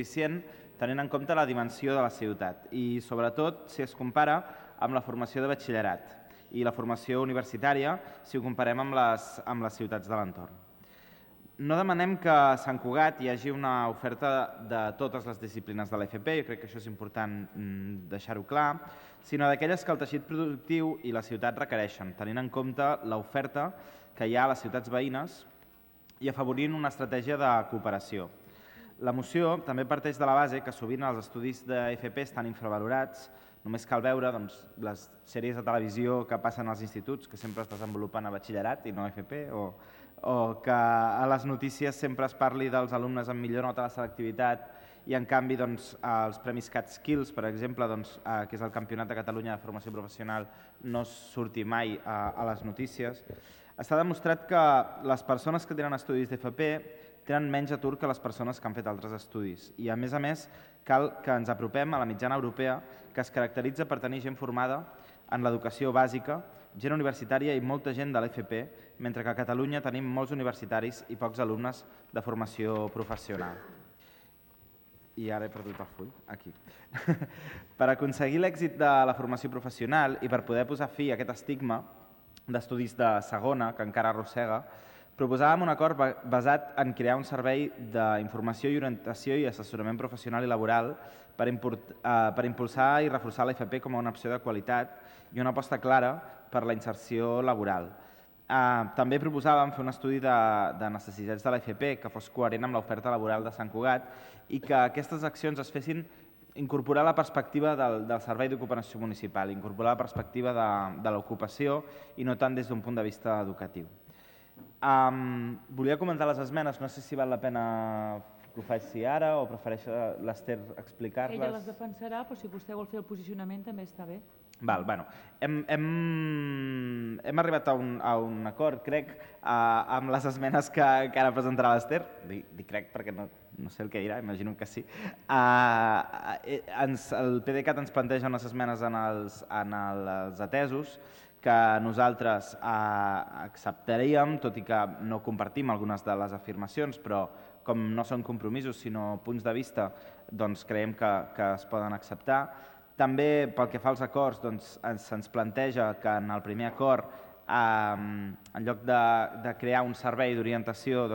suficient tenint en compte la dimensió de la ciutat i sobretot si es compara amb la formació de batxillerat i la formació universitària si ho comparem amb les ciutats de l'entorn. No demanem que a Sant Cugat hi hagi una oferta de totes les disciplines de l'FP, jo crec que això és important deixar-ho clar, sinó d'aquelles que el teixit productiu i la ciutat requereixen, tenint en compte l'oferta que hi ha a les ciutats veïnes i afavorint una estratègia de cooperació. La moció també parteix de la base que sovint els estudis d'FP estan infravalorats, només cal veure les sèries de televisió que passen als instituts, que sempre es desenvolupen a batxillerat i no a FP, o que a les notícies sempre es parli dels alumnes amb millor nota de la selectivitat i en canvi els Premis CatSkills, per exemple, que és el Campionat de Catalunya de Formació Professional, no surti mai a les notícies. Està demostrat que les persones que tenen estudis d'FP tenen menys atur que les persones que han fet altres estudis i a més cal que ens apropem a la mitjana europea que es caracteritza per tenir gent formada en l'educació bàsica, gent universitària i molta gent de l'FP, mentre que a Catalunya tenim molts universitaris i pocs alumnes de formació professional. I ara he perdut el full, aquí. Per aconseguir l'èxit de la formació professional i per poder posar fi a aquest estigma d'estudis de segona, que encara arrossega, proposàvem un acord basat en crear un servei d'informació i orientació i assessorament professional i laboral per impulsar i reforçar l'FP com a una opció de qualitat i una aposta clara per la inserció laboral. També proposàvem fer un estudi de necessitats de l'FP que fos coherent amb l'oferta laboral de Sant Cugat i que aquestes accions es fessin incorporar la perspectiva del servei d'ocupació municipal, incorporar la perspectiva de l'ocupació i no tant des d'un punt de vista educatiu. Volia comentar les esmenes, no sé si val la pena que ho faci ara o prefereix l'Ester explicar-les. Ella les defensarà, però si vostè vol fer el posicionament també està bé. Hem arribat a un acord, crec, amb les esmenes que ara presentarà l'Ester. Dic crec perquè no sé el que dirà, imagino que sí. El PDeCAT ens planteja unes esmenes en els atesos que nosaltres acceptaríem, tot i que no compartim algunes de les afirmacions, però com no són compromisos sinó punts de vista, doncs creiem que es poden acceptar. També pel que fa als acords, se'ns planteja que en el primer acord, en lloc de crear un servei d'orientació,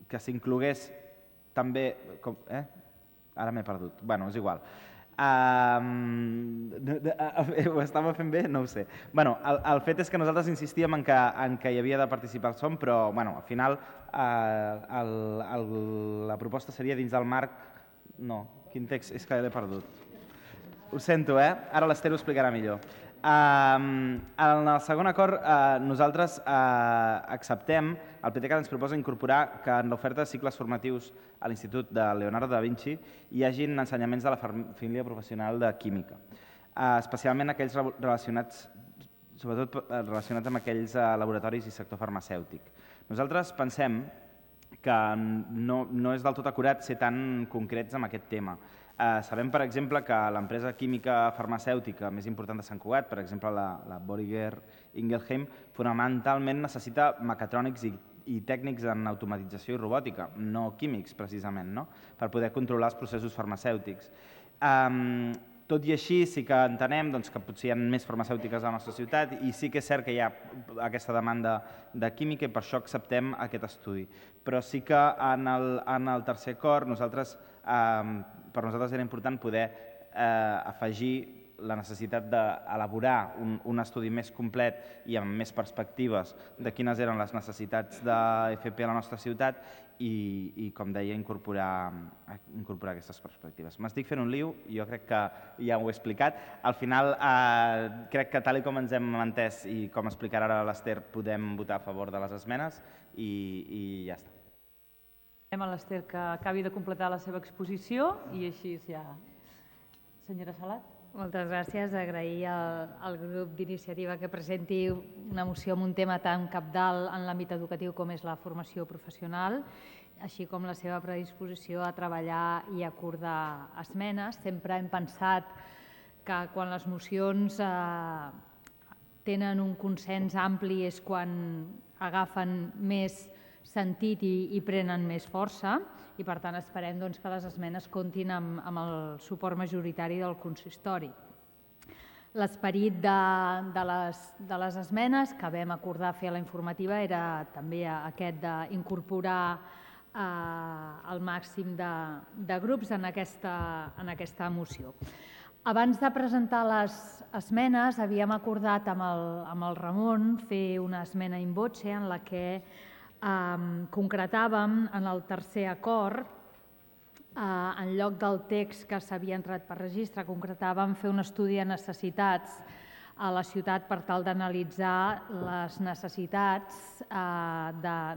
que s'inclogués també... Ara m'he perdut, és igual. Ho estava fent bé? No ho sé. El fet és que nosaltres insistíem en que hi havia de participar el SOM, però al final la proposta seria dins del marc... No, quin text? És que l'he perdut. Ho sento, Ara l'Ester ho explicarà millor. En el segon acord nosaltres acceptem, el PDeCAT ens proposa incorporar que en l'oferta de cicles formatius a l'Institut de Leonardo da Vinci hi hagin ensenyaments de la família professional de química, especialment aquells relacionats, sobretot relacionats amb aquells laboratoris i sector farmacèutic. Nosaltres pensem que no és del tot acurat ser tan concrets amb aquest tema. Sabem, per exemple, que l'empresa química farmacèutica més important de Sant Cugat, per exemple la Boehringer Ingelheim, fonamentalment necessita mecatrònics i tècnics en automatització i robòtica, no químics precisament, per poder controlar els processos farmacèutics. Tot i així sí que entenem que potser hi ha més farmacèutiques a la nostra ciutat i sí que és cert que hi ha aquesta demanda de química i per això acceptem aquest estudi. Però sí que en el tercer acord per nosaltres era important poder afegir la necessitat d'elaborar un estudi més complet i amb més perspectives de quines eren les necessitats d'FP a la nostra ciutat i com deia, incorporar aquestes perspectives. M'estic fent un liu, jo crec que ja ho he explicat. Al final, crec que tal com ens hem entès i com explicarà ara l'Ester, podem votar a favor de les esmenes i ja està. Anem a l'Ester que acabi de completar la seva exposició i així ja... Senyora Salat. Moltes gràcies. Agrair al grup d'iniciativa que presenti una moció amb un tema tan cabdal en l'àmbit educatiu com és la formació professional, així com la seva predisposició a treballar i acordar esmenes. Sempre hem pensat que quan les mocions tenen un consens ampli és quan agafen més sentit i prenen més força i per tant esperem que les esmenes comptin amb el suport majoritari del consistori. L'esperit de les esmenes que vam acordar fer a la informativa era també aquest d'incorporar el màxim de grups en aquesta moció. Abans de presentar les esmenes havíem acordat amb el Ramon fer una esmena in voce en la que concretàvem en el tercer acord, en lloc del text que s'havia entrat per registre, concretàvem fer un estudi de necessitats a la ciutat per tal d'analitzar les necessitats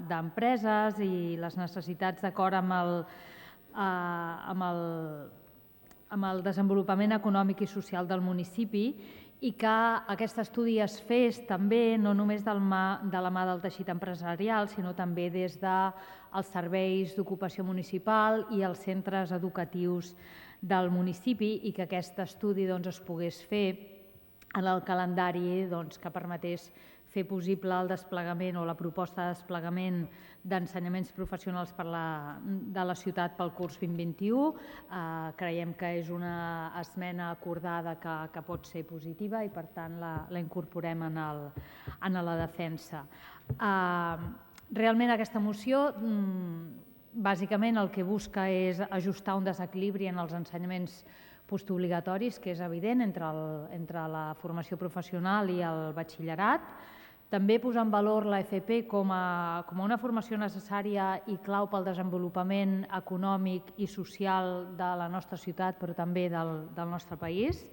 d'empreses i les necessitats d'acord amb el desenvolupament econòmic i social del municipi i que aquest estudi es fes també no només de la mà del teixit empresarial, sinó també des dels serveis d'ocupació municipal i els centres educatius del municipi i que aquest estudi es pogués fer en el calendari que permetés fer possible el desplegament o la proposta de desplegament d'ensenyaments professionals de la ciutat pel curs 2021. Creiem que és una esmena acordada que pot ser positiva i, per tant, la incorporem en la defensa. Realment aquesta moció bàsicament el que busca és ajustar un desequilibri en els ensenyaments postobligatoris, que és evident, entre la formació professional i el batxillerat. També posar en valor l'FP com una formació necessària i clau pel desenvolupament econòmic i social de la nostra ciutat, però també del nostre país.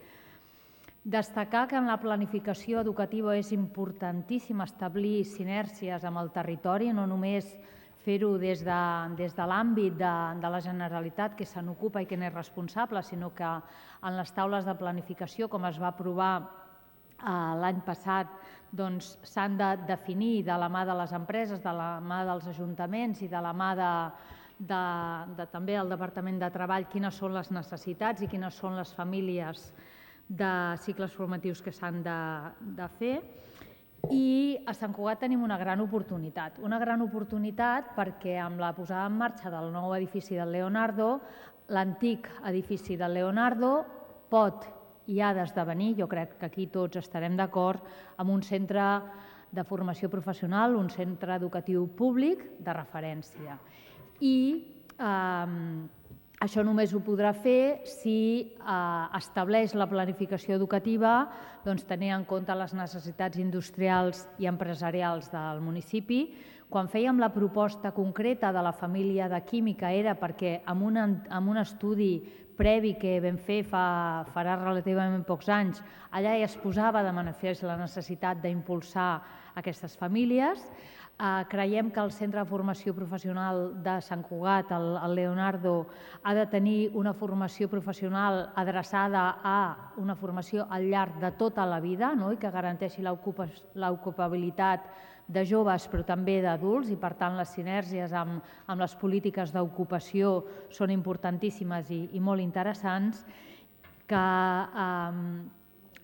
Destacar que en la planificació educativa és importantíssim establir sinergies amb el territori, no només fer-ho des de l'àmbit de la Generalitat, que se n'ocupa i que n'és responsable, sinó que en les taules de planificació, com es va aprovar l'any passat, s'han de definir de la mà de les empreses, de la mà dels ajuntaments i de la mà també del Departament de Treball quines són les necessitats i quines són les famílies de cicles formatius que s'han de fer. I a Sant Cugat tenim una gran oportunitat perquè amb la posada en marxa del nou edifici del Leonardo, l'antic edifici del Leonardo pot i ha d'esdevenir, jo crec que aquí tots estarem d'acord, amb un centre de formació professional, un centre educatiu públic de referència. I això només ho podrà fer si estableix la planificació educativa tenint en compte les necessitats industrials i empresarials del municipi. Quan fèiem la proposta concreta de la família de química era perquè amb un estudi previ que vam fer farà relativament pocs anys, allà ja es posava de manifest la necessitat d'impulsar aquestes famílies. Creiem que el Centre de Formació Professional de Sant Cugat, el Leonardo, ha de tenir una formació professional adreçada a una formació al llarg de tota la vida i que garanteixi l'ocupabilitat de joves però també d'adults i, per tant, les sinergies amb les polítiques d'ocupació són importantíssimes i molt interessants. Que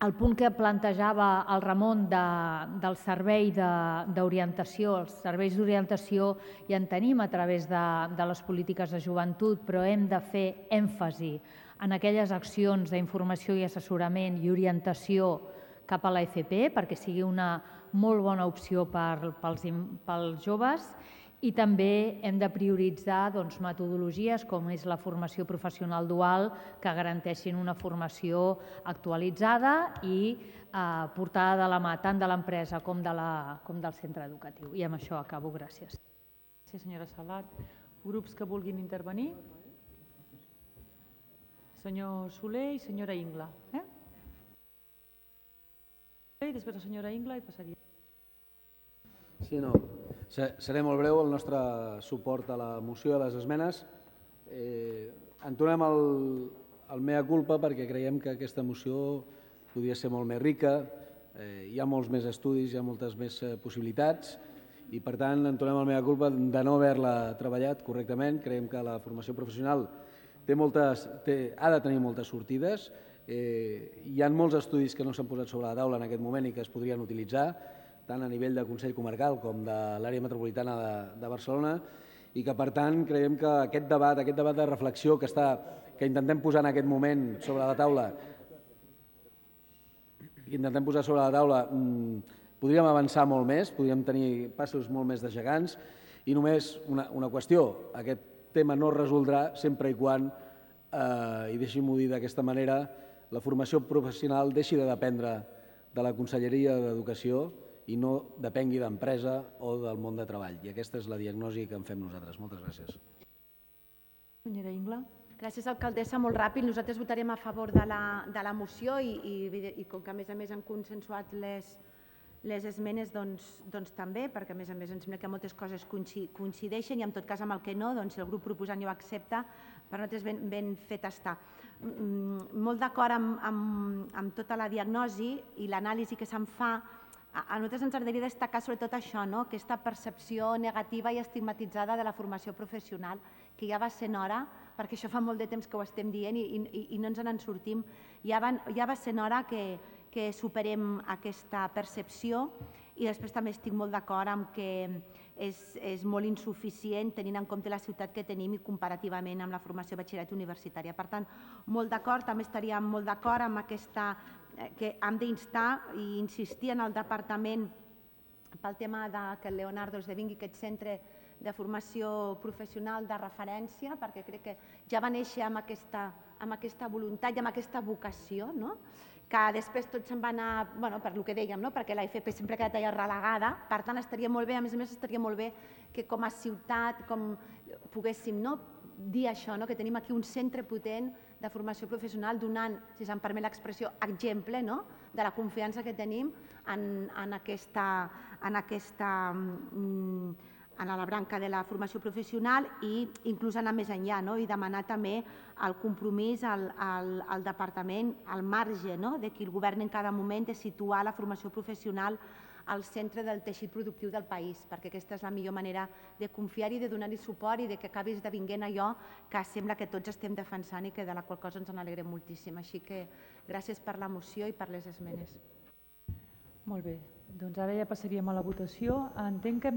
el punt que plantejava el Ramon del servei d'orientació, els serveis d'orientació ja en tenim a través de les polítiques de joventut, però hem de fer èmfasi en aquelles accions d'informació i assessorament i orientació cap a l'AFP perquè sigui una molt bona opció pels joves i també hem de prioritzar metodologies com és la formació professional dual que garanteixin una formació actualitzada i portada de la mà tant de l'empresa com del centre educatiu. I amb això acabo. Gràcies. Gràcies, senyora Salat. Grups que vulguin intervenir? Senyor Soler i senyora Ingla. I després la senyora Ingla i passaria. Sí, no. Seré molt breu. El nostre suport a la moció i a les esmenes. Entonem el mea culpa perquè creiem que aquesta moció podria ser molt més rica, hi ha molts més estudis, hi ha moltes més possibilitats i, per tant, entonem el mea culpa de no haver-la treballat correctament. Creiem que la formació professional ha de tenir moltes sortides. Hi ha molts estudis que no s'han posat sobre la taula en aquest moment i que es podrien utilitzar, tant a nivell de Consell Comarcal com de l'àrea metropolitana de Barcelona, i que, per tant, creiem que aquest debat de reflexió que intentem posar en aquest moment sobre la taula, podríem avançar molt més, podríem tenir passos molt més de gegants, i només una qüestió: aquest tema no es resoldrà sempre i quan, i deixi-m'ho dir d'aquesta manera, la formació professional deixi de dependre de la Conselleria d'Educació i no depengui d'empresa o del món de treball. I aquesta és la diagnosi que en fem nosaltres. Moltes gràcies. Senyora Ingla. Gràcies, alcaldessa. Molt ràpid. Nosaltres votarem a favor de la moció i com que a més han consensuat les esmenes, doncs també, perquè a més em sembla que moltes coses coincideixen i en tot cas amb el que no, doncs si el grup proposant ja ho accepta, per nosaltres ben fet està. Molt d'acord amb tota la diagnosi i l'anàlisi que se'n fa. A nosaltres ens agradaria destacar sobretot això, aquesta percepció negativa i estigmatitzada de la formació professional, que ja va sent hora, perquè això fa molt de temps que ho estem dient i no ens en sortim, ja va sent hora que superem aquesta percepció, i després també estic molt d'acord amb que és molt insuficient tenint en compte la ciutat que tenim i comparativament amb la formació batxillerat universitària. Per tant, molt d'acord, també estaríem molt d'acord amb aquesta que hem d'instar i insistir en el departament pel tema que el Leonardo esdevingui aquest centre de formació professional de referència, perquè crec que ja va néixer amb aquesta voluntat i amb aquesta vocació, que després tot se'n va anar, per el que dèiem, perquè l'AFP sempre ha quedat allà relegada. Per tant, estaria molt bé, a més estaria molt bé que com a ciutat poguéssim dir això, que tenim aquí un centre potent de formació professional donant, si se'm permet l'expressió, exemple de la confiança que tenim en la branca de la formació professional i inclús anar més enllà i demanar també el compromís al departament, al marge de qui el govern en cada moment, de situar la formació professional al centre del teixit productiu del país, perquè aquesta és la millor manera de confiar-hi, de donar-hi suport i que acabi esdevinguent allò que sembla que tots estem defensant i que de la qual cosa ens n'alegrem moltíssim. Així que gràcies per la moció i per les esmenes. Molt bé, doncs ara ja passaríem a la votació. Entenc que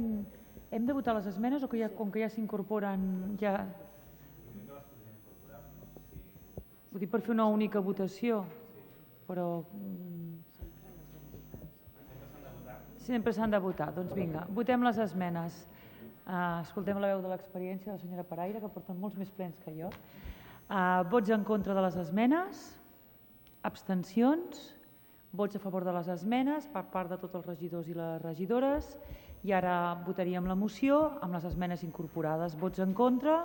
hem de votar les esmenes o que com que ja s'incorporen ja... Ho dic per fer una única votació, però... Sempre s'han de votar. Doncs vinga, votem les esmenes. Escoltem la veu de l'experiència de la senyora Paraire, que porten molts més plens que jo. Vots en contra de les esmenes, abstencions, vots a favor de les esmenes per part de tots els regidors i les regidores, i ara votaríem la moció amb les esmenes incorporades. Vots en contra,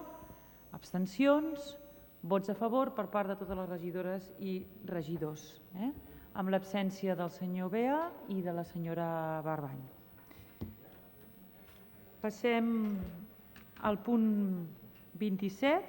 abstencions, vots a favor per part de totes les regidores i regidors, amb l'absència del senyor Bea i de la senyora Barbany. Passem al punt 27,